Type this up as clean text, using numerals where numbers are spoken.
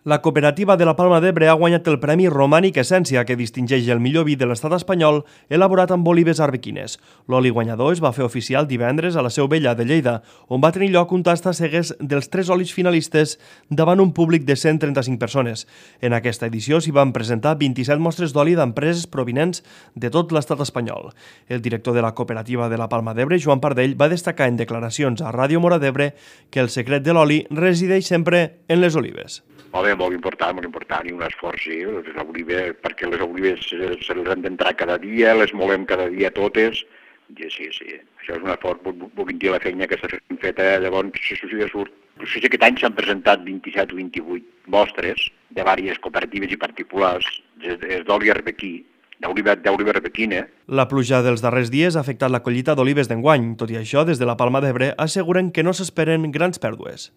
La cooperativa de la Palma d'Ebre ha guanyat el Premi Romànic Essència, que distingeix el millor vi de l'estat espanyol elaborat amb olives arbequines. L'oli guanyador es va fer oficial divendres a la Seu Vella de Lleida, on va tenir lloc un tast a cegues dels 3 olis finalistes davant un públic de 135 persones. En aquesta edició s'hi van presentar 27 mostres d'oli d'empreses provinents de tot l'estat espanyol. El director de la cooperativa de la Palma d'Ebre, Joan Pardell, va destacar en declaracions a Ràdio Mora d'Ebre que el secret de l'oli resideix sempre en les olives. Molt important, i un esforç, sí, les olives, perquè les olives se les han d'entrar cada dia, les molem cada dia totes, i sí, això és un esforç, vull dir la feina que s'ha fet, llavors, això surt. Aquest any s'han presentat 27 o 28 mostres de diverses cooperatives i particulars, d'oli arbequí, d'oliva arbequina. La pluja dels darrers dies ha afectat la collita d'olives d'enguany. Tot i això, des de la Palma d'Ebre asseguren que no s'esperen grans pèrdues.